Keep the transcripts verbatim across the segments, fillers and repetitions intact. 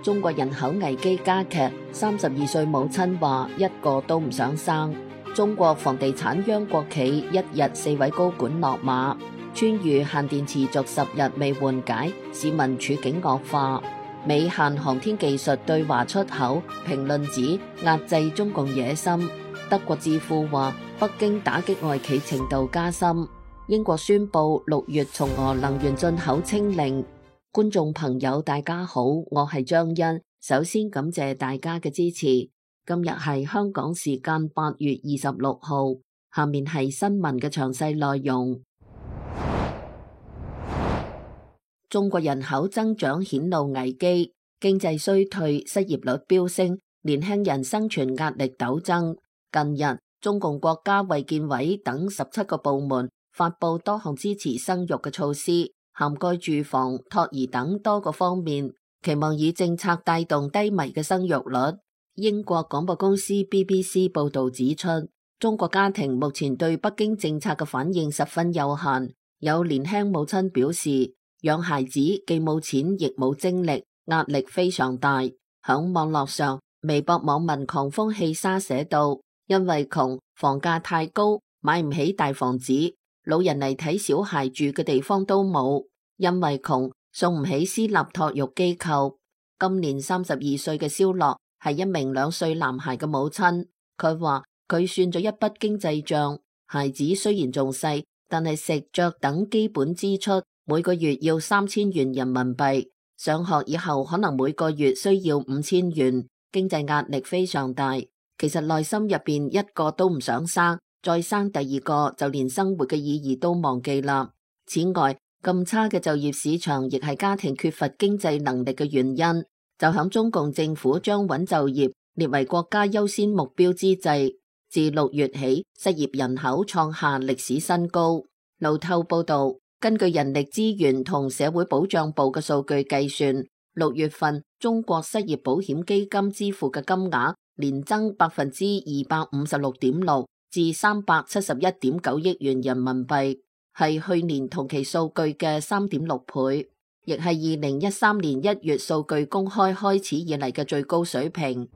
中國人口危機加劇，三十二歲母親話一個都唔想生。中國房地產央國企一日四位高管落馬。川渝限電持續十日未緩解，市民處境惡化。美限航天技術對華出口，評論指壓制中共野心。德國智庫話北京打擊外企程度加深。英國宣布六月從俄能源進口清零。觀眾朋友大家好，我係張欣，首先感謝大家嘅支持。今日係香港時間八月二十六號，下面係新聞嘅詳細內容。中國人口增長顯露危機，經濟衰退，失業率飆升，年輕人生存壓力陡增。近日，中共國家衛健委等十七個部門發布多項支持生育嘅措施，涵蓋住房、托兒等多個方面，期望以政策帶動低迷嘅生育率。英國廣播公司 B B C 報道指出，中國家庭目前對北京政策嘅反應十分有限。有年輕母親表示，養孩子既冇錢亦冇精力，壓力非常大。響網絡上，微博網民狂風氣沙寫道：因為窮，房價太高，買唔起大房子，老人嚟睇小孩住嘅地方都冇；因為窮，送唔起私立托育機構。今年三十二歲嘅蕭樂係一名兩歲男孩嘅母親，佢話佢算咗一筆經濟賬，孩子雖然仲細，但係食着等基本支出每個月要三千元人民幣，上學以後可能每個月需要五千元，經濟壓力非常大。其實內心入邊一個都唔想生，再生第二個就連生活嘅意義都忘記啦。此外，咁差嘅就業市場亦係家庭缺乏經濟能力嘅原因。就響中共政府將穩就業列為國家優先目標之際，自六月起失業人口創下歷史新高。路透報道，根據人力資源同社會保障部嘅數據計算，六月份中國失業保險基金支付嘅金額年增百分之二百五十六點六至三百七十一點九億元人民幣，係去年同期數據嘅三點六倍，亦係二零一三年一月數據公開開始以嚟嘅最高水平。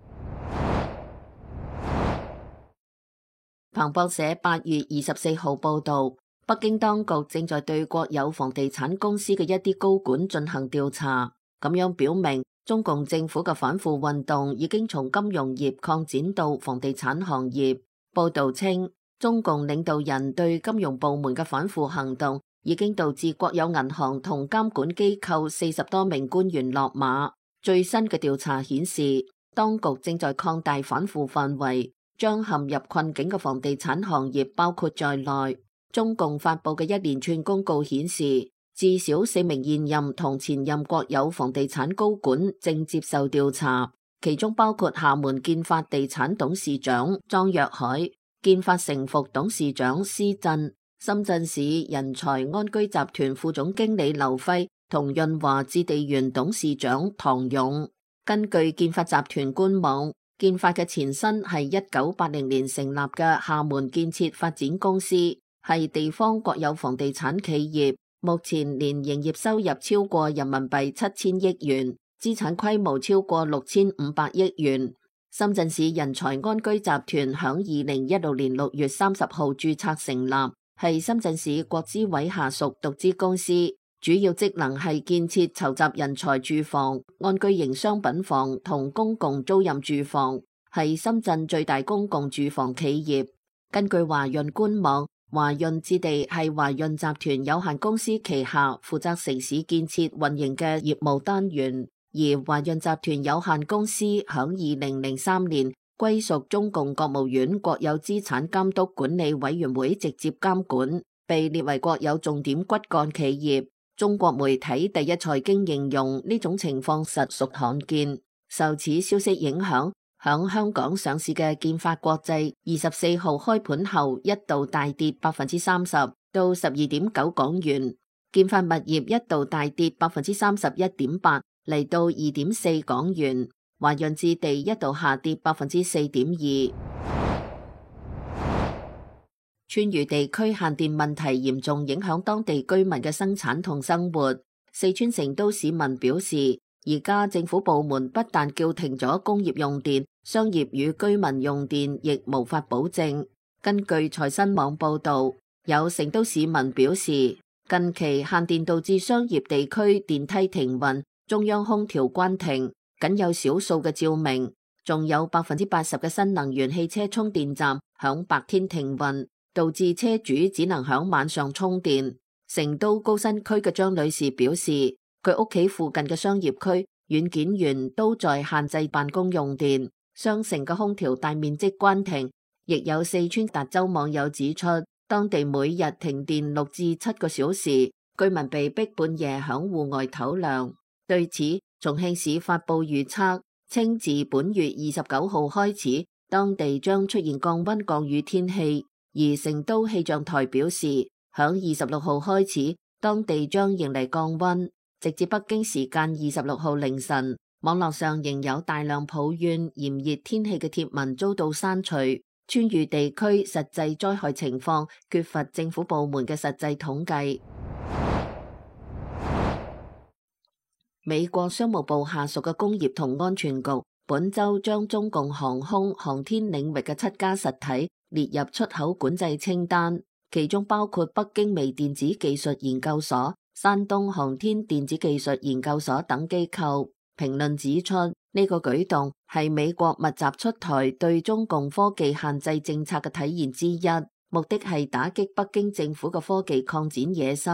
彭博社八月二十四號報道，北京當局正在對國有房地產公司嘅一啲高管進行調查，咁樣表明中共政府嘅反腐運動已經從金融業擴展到房地產行業。報道稱，中共領導人對金融部門嘅反腐行動已經導致國有銀行同監管機構四十多名官員落馬。最新嘅調查顯示，當局正在擴大反腐範圍，將陷入困境嘅房地產行業包括在內。中共發佈嘅一連串公告顯示，至少四名現任同前任國有房地產高管正接受調查，其中包括廈門建發地產董事長莊若海、建發成服董事長施震、深圳市人才安居集團副總經理劉輝同潤華置地園董事長唐勇。根據建發集團官網，建發嘅前身係一九八零年成立嘅廈門建設發展公司，係地方國有房地產企業，目前年營業收入超過人民幣七千億元，資產規模超過六千五百億元。深圳市人才安居集團響二零一六年六月三十號註冊成立，係深圳市國資委下屬獨資公司，主要職能係建設籌集人才住房、安居型商品房同公共租賃住房，係深圳最大公共住房企業。根據華潤官網，華潤置地係華潤集團有限公司旗下負責城市建設運營嘅業務單元，而華潤集團有限公司響二零零三年歸屬中共國務院國有資產監督管理委員會直接監管，被列為國有重點骨幹企業。中國媒體第一財經形容呢種情況實屬罕見。受此消息影響，響香港上市嘅建發國際二十四號開盤後一度大跌百分之三十到十二點九港元，建發物業一度大跌百分之三十一點八嚟到二點四港元，華潤置地一度下跌百分之四點二。川渝地區限電問題嚴重影響當地居民嘅生產同生活。四川成都市民表示，而家政府部門不但叫停咗工業用電，商業與居民用電亦無法保證。根據財新網報導，有成都市民表示，近期限電導致商業地區電梯停運，中央空調關停，僅有少數嘅照明，仲有百分之八十嘅新能源汽車充電站響白天停運，導致車主只能響晚上充電。成都高新區嘅張女士表示，佢屋企附近嘅商業區軟件園都在限制辦公用電，商城嘅空調大面積關停。亦有四川達州網友指出，當地每日停電六至七個小時，居民被逼半夜響戶外唞涼。對此，重慶市發布預測，稱自本月二十九號開始，當地將出現降溫降雨天氣。而成都氣象台表示，響二十六號開始，當地將迎嚟降溫，直至北京時間二十六號凌晨。網絡上仍有大量抱怨炎熱天氣嘅帖文遭到刪除。川渝地區實際災害情況缺乏政府部門嘅實際統計。美國商務部下屬嘅工業同安全局本周將中共航空航天領域嘅七家實體列入出口管制清單，其中包括北京微電子技術研究所、山東航天電子技術研究所等機構。評論指出，呢個舉動係美國密集出台對中共科技限制政策嘅體現之一，目的係打擊北京政府嘅科技擴展野心。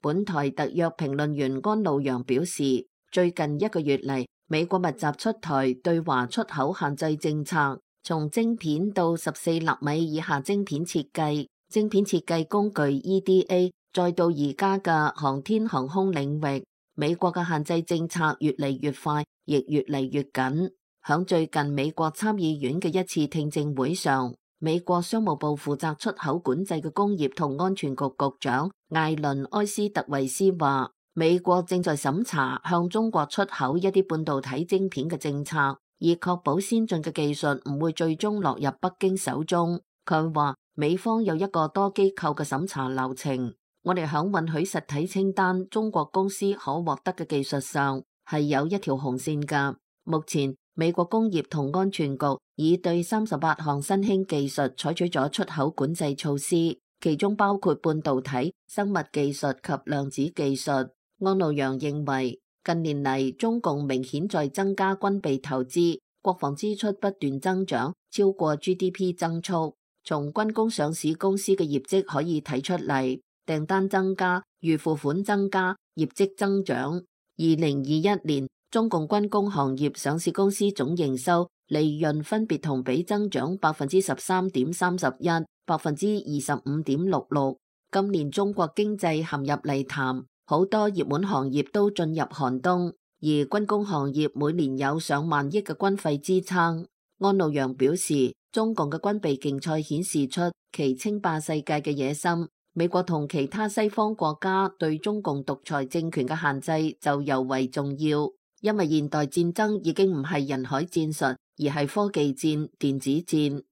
本台特約評論員安路陽表示，最近一個月嚟，美國密集出台對華出口限制政策，從晶片到十四納米以下晶片設計、晶片設計工具 E D A， 再到而家嘅航天航空領域。美國嘅限制政策越嚟越快，亦越嚟越緊。響最近美國參議院嘅一次聽證會上，美國商務部負責出口管制嘅工業同安全局局長艾倫埃斯特維斯話，美國正在審查向中國出口一啲半導體晶片嘅政策，以確保先進嘅技術唔會最終落入北京手中。佢話美方有一個多機構嘅審查流程。我哋響允許實體清單中國公司可獲得嘅技術上係有一條紅線㗎。目前美國工業同安全局已對三十八項新興技術採取咗出口管制措施，其中包括半導體、生物技術及量子技術。安路陽認為，近年嚟中共明顯在增加軍備投資，國防支出不斷增長，超過 G D P 增速。從軍工上市公司嘅業績可以睇出嚟。訂單增加，預付款增加，業績增長。二零二一年，中共軍工行業上市公司總營收、利潤分別同比增長百分之十三點三十一、百分之二十五點六六。今年中國經濟陷入泥潭，好多熱門行業都進入寒冬，而軍工行業每年有上萬億嘅軍費支撐。安路陽表示，中共嘅軍備競賽顯示出其稱霸世界嘅野心。美國同其他西方國家對中共獨裁政權嘅限制就尤為重要，因為現代戰爭已經唔係人海戰術，而係科技戰、電子戰。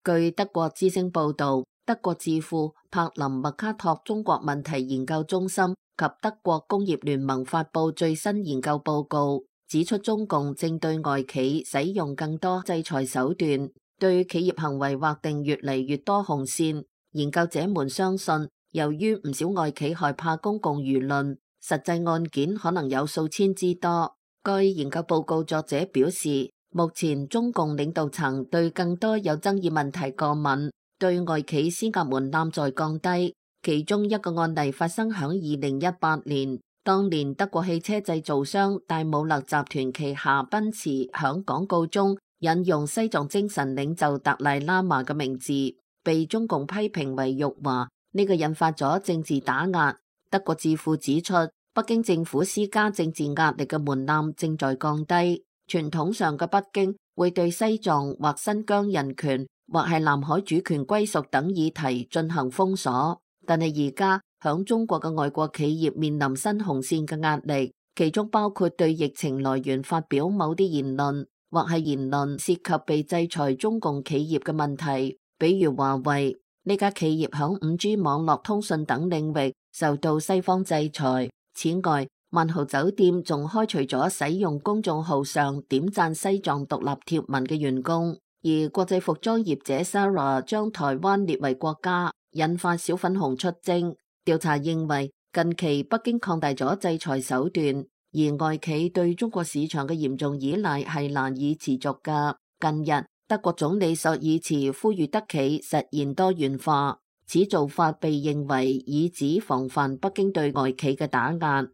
據德國之聲報導，德國智庫柏林麥卡托中國問題研究中心及德國工業聯盟發布最新研究報告，指出中共正對外企使用更多制裁手段，對企業行為劃定越嚟越多紅線。研究者們相信，由於唔少外企害怕公共輿論，實際案件可能有數千之多。該研究報告作者表示，目前中共領導層對更多有爭議問題過敏，對外企施壓門檻在降低。其中一個案例發生響二零一八年，當年德國汽車製造商戴姆勒集團旗下奔馳響廣告中引用西藏精神領袖達賴喇嘛嘅名字，被中共批評為辱華，呢個引發咗政治打壓。德國智庫指出，北京政府施加政治壓力嘅門檻正在降低。傳統上嘅北京會對西藏或新疆人權或係南海主權歸屬等議題進行封鎖，但係而家響中國嘅外國企業面臨新紅線嘅壓力，其中包括對疫情來源發表某啲言論，或係言論涉及被制裁中共企業嘅問題，比如華為呢家企業響五 G 網絡通訊等領域受到西方制裁。此外，萬豪酒店仲開除咗使用公眾號上點讚西藏獨立貼文嘅員工，而國際服裝業者 Zara 將台灣列為國家，引發小粉紅出征。調查認為，近期北京擴大咗制裁手段，而外企對中國市場嘅嚴重依賴係難以持續㗎。近日，德國總理朔爾茨呼籲德企實現多元化，此做法被認為以指防範北京對外企嘅打壓。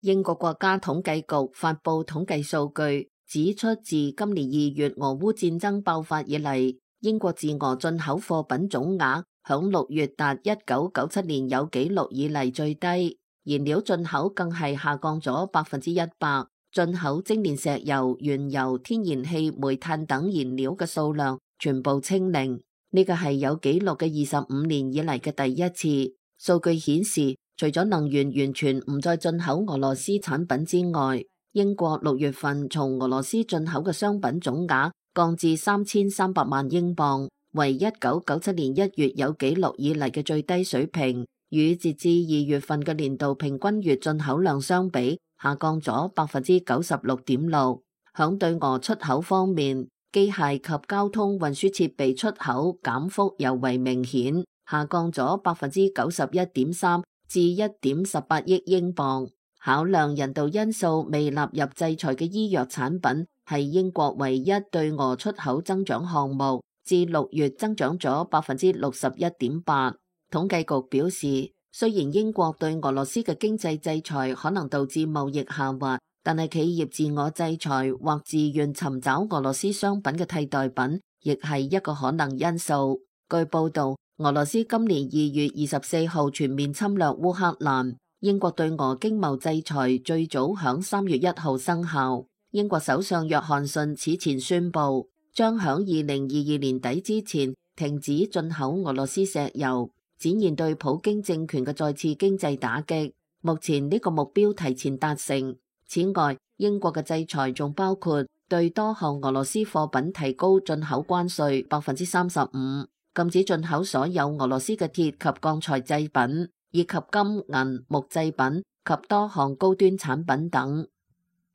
英國國家統計局發佈統計數據，指出自今年二月俄烏戰爭爆發以嚟，英國自俄進口貨品總額響六月達一九九七年有紀錄以嚟最低，燃料進口更係下降咗百分之一百。進口精煉石油、原油、天然氣、煤炭等燃料嘅數量全部清零，呢個係有紀錄嘅二十五年以嚟嘅第一次。數據顯示，除咗能源完全唔再進口俄羅斯產品之外，英國六月份從俄羅斯進口嘅商品總額降至三千三百萬英鎊，為一九九七年一月有紀錄以嚟嘅最低水平，與截至二月份嘅年度平均月進口量相比，下降咗百分之九十六點六。響對俄出口方面，機械及交通運輸設備出口減幅尤為明顯，下降咗百分之九十一點三至一點十八億英鎊。考量人道因素未納入制裁嘅醫藥產品係英國唯一對俄出口增長項目，至六月增長咗百分之六十一點八。統計局表示，雖然英國對俄羅斯嘅經濟制裁可能導致貿易下滑，但係企業自我制裁或自願尋找俄羅斯商品嘅替代品，亦係一個可能因素。據報道，俄羅斯今年二月二十四號全面侵略烏克蘭，英國對俄經貿制裁最早響三月一號生效。英國首相約翰遜此前宣布，將響二零二二年底之前停止進口俄羅斯石油，展現對普京政權嘅再次經濟打擊。目前呢個目標提前達成。此外，英國嘅制裁仲包括對多項俄羅斯貨品提高進口關稅百分之三十五，禁止進口所有俄羅斯嘅鐵及鋼材製品，以及金銀木製品及多項高端產品等。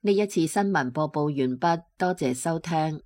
呢一次新聞播報完畢，多謝收聽。